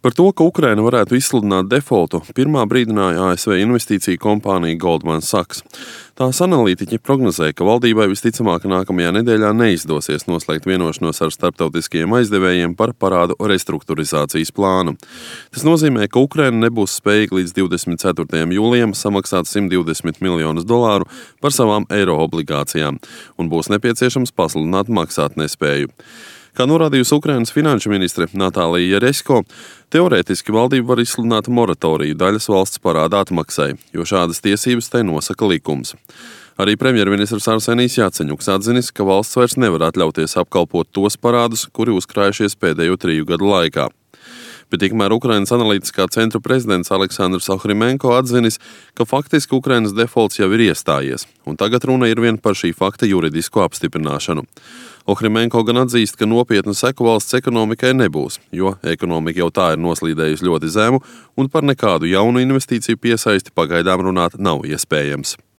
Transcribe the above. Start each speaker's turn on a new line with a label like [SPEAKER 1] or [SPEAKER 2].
[SPEAKER 1] Par to, ka Ukraina varētu izsludināt defoltu, pirmā brīdināja ASV investīciju kompānija Goldman Sachs. Tās analītiķi prognozēja, ka valdībai visticamāk nākamajā nedēļā neizdosies noslēgt vienošanos ar starptautiskajiem aizdevējiem par parādu restruktūrizācijas plānu. Tas nozīmē, ka Ukraina nebūs spējīga līdz 24. jūlijam samaksāt $120 miljonus par savām eiro obligācijām un būs nepieciešams pasludināt maksātnespēju. Kā norādījusi Ukrainas finanšu ministre Natālija Jeresko, teorētiski valdība var izsludināt moratoriju daļas valsts parāda atmaksai, jo šādas tiesības tai nosaka likums. Arī premjerministrs Arsenijs Jaceņuks atzinis, ka valsts vairs nevar atļauties apkalpot tos parādus, kuri uzkrājušies pēdējo 3 gadu laikā. Bet tikmēr Ukrainas analītiskā centra prezidents Aleksandrs Ohrimenko atzinis, ka faktiski Ukrainas defolts jau ir iestājies, un tagad runa ir vien par šī fakta juridisko apstiprināšanu. Ohrimenko gan atzīst, ka nopietnu seku valsts ekonomikai nebūs, jo ekonomika jau tā ir noslīdējusi ļoti zemu, un par nekādu jaunu investīciju piesaisti pagaidām runāt nav iespējams.